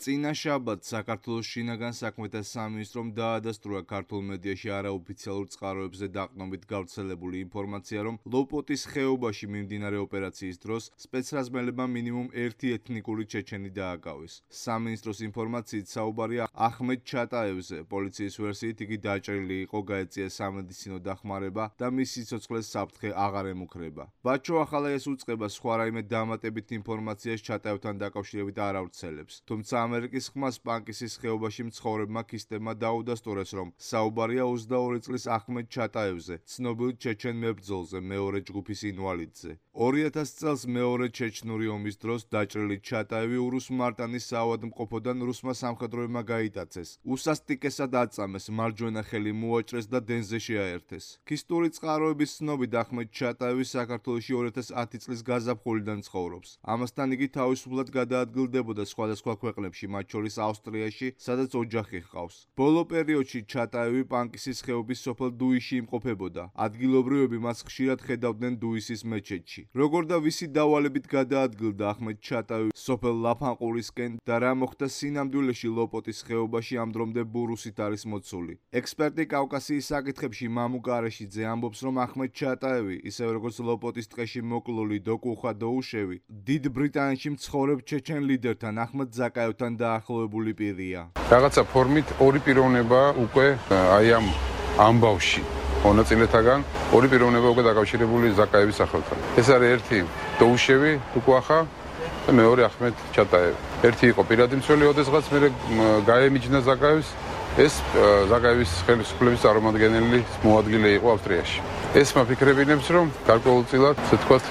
წინა შაბათს საქართველოს შინაგან საქმეთა სამინისტრომ დაადასტურა ქართულ მედიაში არაოფიციალურ წყაროებზე დაყრდნობით გავრცელებული ინფორმაცია, რომ ლოპოტის ხეობაში მიმდინარე ოპერაციის დროს სპეცრაზმელებმა მინიმუმ ერთი ეთნიკური ჩეჩენი დააკავეს. სამინისტროს ინფორმაციით საუბარია ახმედ ჩატაევზე. პოლიციის ვერსიით იგი დაჭრილი იყო, გაეწია სამედიცინო დახმარება და მის სიცოცხლეს საფრთხე აღარ ემუქრება. ბაჩო ახალაიას უწყება სხვა რაიმე დამატებით ინფორმაციას ჩატაევთან დაკავშირებით არ ავრცელებს. თუმცა ამერიკის ხმას პანკისის ხეობაში მცხოვრებმა ქისტებმა დაუდასტურეს, რომ საუბარია 22 წლის ახმედ ჩატაევზე, ცნობილ ჩეჩენ მებრძოლზე, მეორე ჯგუფის ინვალიდზე. 2000 წელს მეორე ჩეჩნური ომის დროს დაჭრილი ჩატაევი ურუს მარტანის საავადმყოფოდან რუსმა სამხედროებმა გაიტაცეს. უსასტიკესად აწამეს, მარჯვენა ხელი მოაჭრეს და დენზე შეაერთეს. ქისტური წყაროების ცნობით ახმედ ჩატაევი საქართველოში 2010 წლის გაზაფხულიდან ცხოვრობს. ამასთან იგი თავისუფლად გადაადგილდებოდა სხვადასხვა ქვეყნებში, მათ შორის ავსტრიაში, სადაც ოჯახი ჰყავს. ბოლო პერიოდში ჩატაევი პანკისის ხეობის სოფელ დუისში იმყოფებოდა. ადგილობრივები მას ხშირად ხედავდნენ დუისის მეჩეთში. როგორ და ვისი დავალებით გადაადგილდა ახმედ ჩატაევი სოფელ ლაფანყურისკენ და რა მოხდა სინამდვილეში ლოპოტის ხეობაში ამ დრომდე ბურუსით არის მოცული. ექსპერტი კავკასიის საკითხებში მამუ კარეშიძე ამბობს, რომ ახმედ ჩატაევი, ისევე როგორც ლოპოტის ტყეში მოკლული დოკუხა დოუშევი, დიდ ბრიტანეთში მცხოვრებ ჩეჩენ ლიდერთან ახმედ ზაკაევთან დაახლოებული პირია. რაღაცა ფორმით ორი პიროვნება უკვე აი ამ ამბავში მონაწილეთაგან ორი პიროვნება უკვე დაკავშირებული ზაკაევის სახელთან. ეს არის ერთი დოუშევი დოკუხა და მეორე ახმედ ჩატაევი. ერთი იყო პირადი მცველი, ოდესღაც მე გაემიჯნა ზაკაევს, ეს ზაკაევის ხელისუფლების წარმომადგენელი მოადგილე იყო ავსტრიაში. ეს მაფიქრებინებს, რომ გარკვეულწილად, ასე ვთქვათ,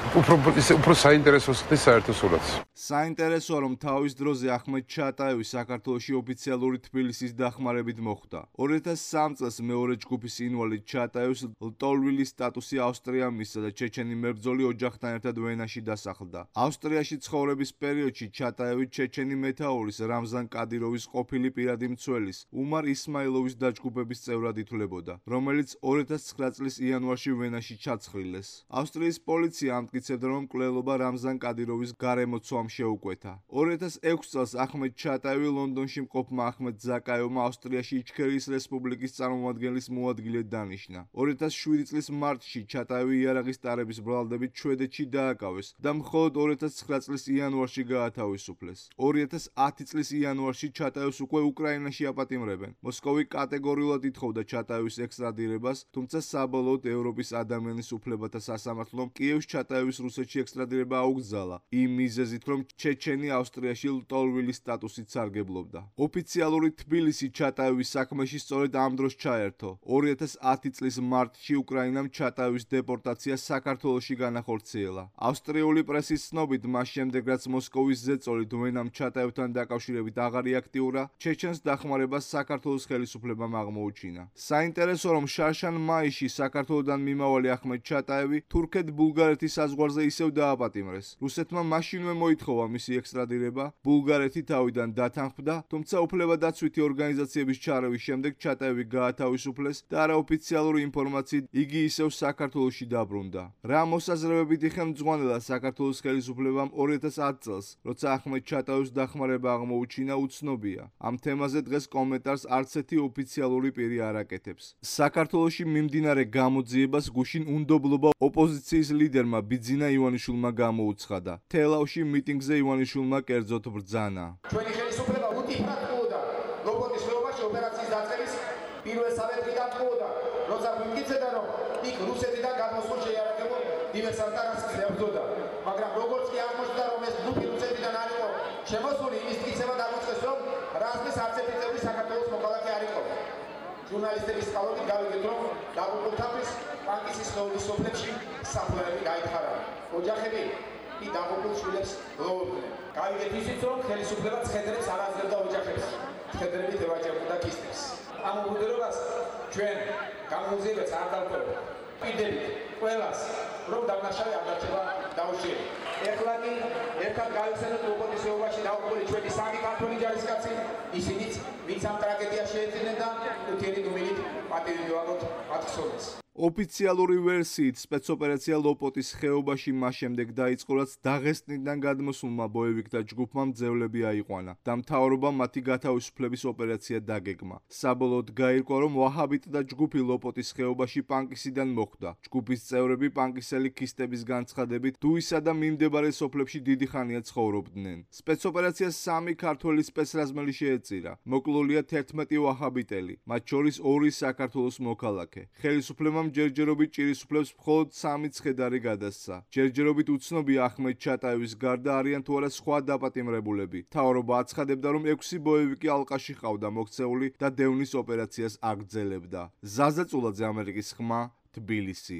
უფრო საინტერესოს ხდის საერთო სურათს. საინტერესოა, რომ თავის დროზე ახმედ ჩატაევი საქართველოში ოფიციალური თბილისის დახმარებით მოხვდა. 2003 წელს მეორე ჯგუფის ინვალიდ ჩატაევს ლტოლვილის სტატუსი ავსტრია მისცა და ჩეჩენი მებრძოლი ოჯახთან ერთად ვენაში დასახლდა. ავსტრიაში ცხოვრების პერიოდში ჩატაევი ჩეჩენი მეთაურის რამზან კადიროვის ყოფილი პირადი მცველის უმარ ისმაილოვის დაჯგუფების წევრად ითვლებოდა, რომელიც 2009 წლის იანვარში ვენაში ჩაცხრილეს. ავსტრიის პოლიცია ამტკიცებდა, რომ მკვლელობა რამზან კადიროვის გარემოცვამ შეუკვეთა. 2006 წელს ახმედ ჩატაევი ლონდონში მყოფმა ახმედ ზაკაევმა ავსტრიაში იჩქერიის რესპუბლიკის წარმომადგენლის მოადგილედ დანიშნა. 2007 წლის მარტში ჩატაევი იარაღის ტარების ბრალდებით შვედეთში დააკავეს და მხოლოდ 2009 წლის იანვარში გაათავისუფლეს. 2010 წლის იანვარში ჩატაევს უკვე უკრაინაში აპატიმრებენ. მოსკოვი კატეგორიულად ითხოვდა ჩატაევის ექსტრადირებას, თუმცა საბოლოოდ ევროპის ადამიანის უფლებათა სასამართლომ კიევს ჩატაევის რუსეთში ექსტრადირება აუკრძალა, იმ მიზეზით, რომ ჩეჩენი ავსტრიაში ლტოლვილის სტატუსით სარგებლობდა. ოფიციალური თბილისი ჩატაევის საქმეში სწორედ ამ დროს ჩაერთო. 2010 წლის მარტში უკრაინამ ჩატაევის დეპორტაცია საქართველოში განახორციელა. ავსტრიული პრესის ცნობით, მას შემდეგ რაც მოსკოვის ზეწოლით ვენამ ჩატაევთან დაკავშირებით აღარ იაქტიურა, ჩეჩენს დახმარებას საქართველოს ხელისუფლებამ აღმოუჩინა. საინტერესოა, რომ შარშან მაისში საქართველოდან მიმავალი ახმედ ჩატაევი თურქეთ-ბულგარეთის საზღვარზე ისევ დააპატიმრეს. რუსეთმა მაშინვე მოითხოვა მისი ექსტრადირება, ბულგარეთი თავიდან დათანხმდა, თუმცა უფლებადაცვითი ორგანიზაციების ჩარევის შემდეგ ჩატაევი გაათავისუფლეს და არაოფიციალური ინფორმაციით იგი ისევ საქართველოში დაბრუნდა. რა მოსაზრებებითი ხელმძღვანელა საქართველოს ხელისუფლებამ 2010 წელს, როცა ახმედ ჩატაევის დახმარება აღმოუჩინა, უცნობია. ამ თემაზე დღეს კომენტარს არც ერთი ოფიციალური პირი არ აკეთებს. საქართველოში მიმდინარე გამოძიებას გუშინ უნდობლობა ოპოზიციის ლიდერმა ბიძინა ივანიშვილმა გამოუცხადა. თელავში მიტინგზე ივანიშვილმა კერძოდ ბრძანა. ჩვენი ხელისუფლება უტიფრად ყოდა ლოპოტის ხეობაში ოპერაციის დაწყების პირველსავე დღიდან ყოდა, როცა ვიმტკიცებდა, რომ იქ რუსეთიდან გადმოსულ შეიარაღებულ დივერსანტებს ებრძოდა. მაგრამ როგორც კი აღმოჩნდა, რომ ეს ჯგუფი რუსეთიდან არ იყო შემოსული, ის მტკიცება დაუწყეს, რომ რაზმის არც ერთი წევრი საქართველოს მოქალაქე არ იყო. ჟურნალისტების წყალობით გავიგეთ, რომ დაღუპულთათვის პანკისის ხეობის სოფლებში საფლავები გაითხარა. ოჯახები კი დაღუპულ შვილებს გლოვობდნენ. გავიგეთ ისიც, რომ ხელისუფლება ცხედრებს არ აძლევდა ოჯახებს, ცხედრებით ევაჯებოდა ქისტებს. ამ უბედურებას ჩვენ გამოძიებას არ დავტოვებთ. პირდებით ყველას, რომ დამნაშავე არ დარჩება დაუშვიერი. ეხლა კი ერთად გავიხსენოთ ლოპოტის ხეობაში დაღუპული ჩვენი სამი ქართველი ჯარისკაცი, ისინიც ვინც ამ ტრაგედიას შეეძინენ და უთიერი დუმილით პატივი მივაღოთ მათ ხსოვნას. ოფიციალური ვერსიით სპეცოპერაცია ლოპოტის ხეობაში მას შემდეგ დაიწყო, რაც დაღესტნიდან გადმოსულმა ბოევიკთა ჯგუფმა მძევლები აიყვანა და მთავრობამ მათი გათავისუფლების ოპერაცია დაგეგმა. საბოლოოდ გაირკვა, რომ ვაჰაბიტთა ჯგუფი ლოპოტის ხეობაში პანკისიდან მოხვდა. ჯგუფის წევრები პანკისელი ქისტების განცხადებით დუისა და მიმდებარე სოფლებში დიდი ხანია ცხოვრობდნენ. სპეცოპერაციას 3 ქართველი სპეცრაზმელი შეეწირა. მოკლულია 11 ვაჰაბიტელი, მათ შორის 2 საქართველოს მოქალაქე. ხელისუფლებამ ჯერჯერობით ჭირისუფლებს მხოლოდ 3 ცხედარი გადასცა. ჯერჯერობით უცნობია ახმედ ჩატაევის გარდა არიან თუ არა სხვა დაპატიმრებულები. მთავრობა აცხადებდა, რომ 6 ბოევიკი ალყაში ყავდა მოქცეული და დევნის ოპერაციას აგრძელებდა. ზაზა წულაძე, ამერიკის ხმა, თბილისი.